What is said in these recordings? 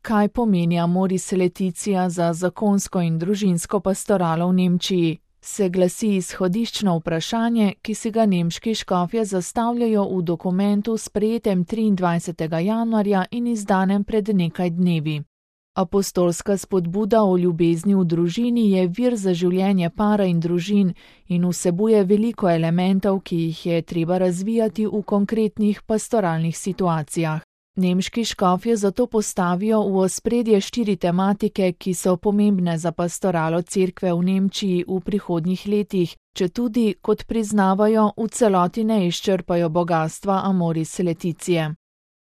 Kaj pomeni Amoris Laetitia za zakonsko in družinsko pastoralo v Nemčiji? Se glasi izhodiščno vprašanje, ki si ga nemški škofje zastavljajo v dokumentu sprejetem 23. januarja in izdanem pred nekaj dnevi. Apostolska spodbuda o ljubezni v družini je vir za življenje para in družin in vsebuje veliko elementov, ki jih je treba razvijati v konkretnih pastoralnih situacijah. Nemški škofje zato postavijo v ospredje 4 tematike, ki so pomembne za pastoralo cerkve v Nemčiji v prihodnjih letih, četudi, kot priznavajo, v celoti ne izčrpajo bogastva Amoris Laetitie.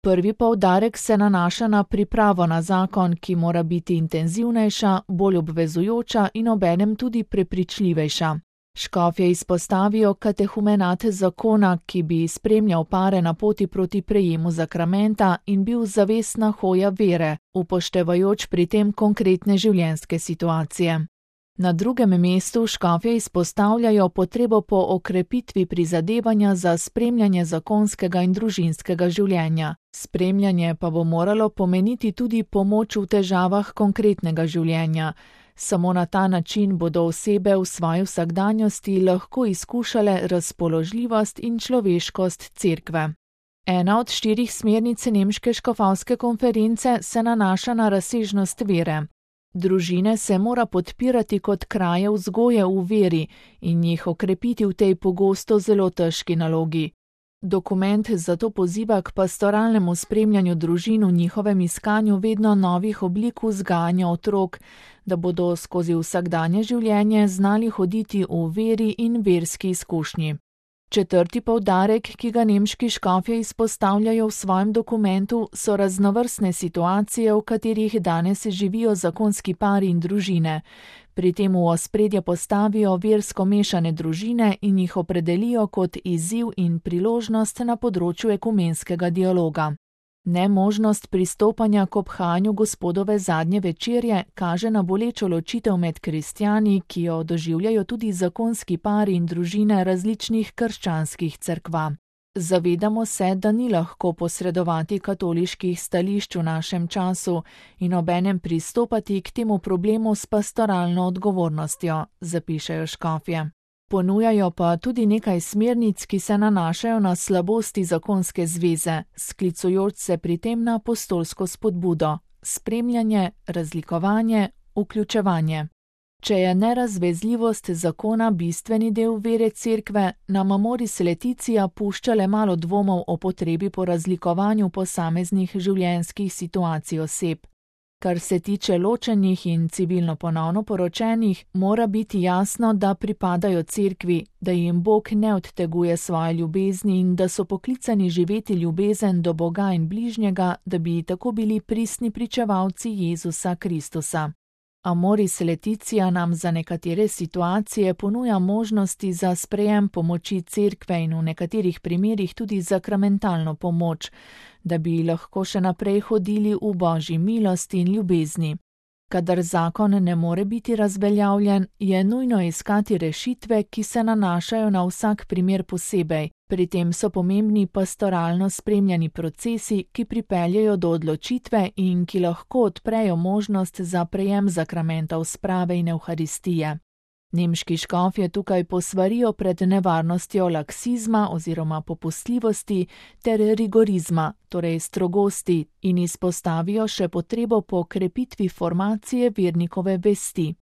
Prvi poudarek se nanaša na pripravo na zakon, ki mora biti intenzivnejša, bolj obvezujoča in obenem tudi prepričljivejša. Škofje izpostavijo katehumenat zakona, ki bi spremljal pare na poti proti prejemu zakramenta in bil zavestna hoja vere, upoštevajoč pri tem konkretne življenjske situacije. Na drugem mestu škofje izpostavljajo potrebo po okrepitvi prizadevanja za spremljanje zakonskega in družinskega življenja. Spremljanje pa bo moralo pomeniti tudi pomoč v težavah konkretnega življenja. Samo na ta način bodo osebe v svoji vsakdanjosti lahko izkušale razpoložljivost in človeškost cerkve. Ena od 4 smernic nemške škofovske konference se nanaša na razsežnost vere. Družine se mora podpirati kot kraje vzgoje v veri in jih okrepiti v tej pogosto zelo težki nalogi. Dokument zato poziva k pastoralnemu spremljanju družin v njihovem iskanju vedno novih oblik vzgajanja otrok, da bodo skozi vsakdanje življenje znali hoditi v veri in verski izkušnji. Četrti poudarek, ki ga nemški škofje izpostavljajo v svojem dokumentu, so raznovrstne situacije, v katerih danes živijo zakonski pari in družine. Pri tem v ospredje postavijo versko mešane družine in jih opredelijo kot izziv in priložnost na področju ekumenskega dialoga. Nemožnost pristopanja k obhajanju Gospodove zadnje večerje kaže na bolečo ločitev med kristjani, ki jo doživljajo tudi zakonski pari in družine različnih krščanskih cerkva. Zavedamo se, da ni lahko posredovati katoliških stališč v našem času in obenem pristopati k temu problemu s pastoralno odgovornostjo, zapišejo škofje. Ponujajo pa tudi nekaj smernic, ki se nanašajo na slabosti zakonske zveze, sklicujoč se pri tem na apostolsko spodbudo, spremljanje, razlikovanje, vključevanje. Če je nerazvezljivost zakona bistveni del vere cerkve, nam Amoris Laetitia pušča le malo dvomov o potrebi po razlikovanju posameznih življenjskih situacij oseb. Kar se tiče ločenih in civilno ponovno poročenih, mora biti jasno, da pripadajo cerkvi, da jim Bog ne odteguje svoje ljubezni in da so poklicani živeti ljubezen do Boga in bližnjega, da bi tako bili pristni pričevalci Jezusa Kristusa. Amoris Laetitia nam za nekatere situacije ponuja možnosti za sprejem pomoči cerkve in v nekaterih primerih tudi zakramentalno pomoč, da bi lahko še naprej hodili v Božji milosti in ljubezni. Kadar zakon ne more biti razveljavljen, je nujno iskati rešitve, ki se nanašajo na vsak primer posebej. Pri tem so pomembni pastoralno spremljani procesi, ki pripeljejo do odločitve in ki lahko odprejo možnost za prejem zakramentov sprave in evharistije. Nemški škofje tukaj posvarijo pred nevarnostjo laksizma oziroma popustljivosti ter rigorizma, torej strogosti, in izpostavijo še potrebo po krepitvi formacije vernikove vesti.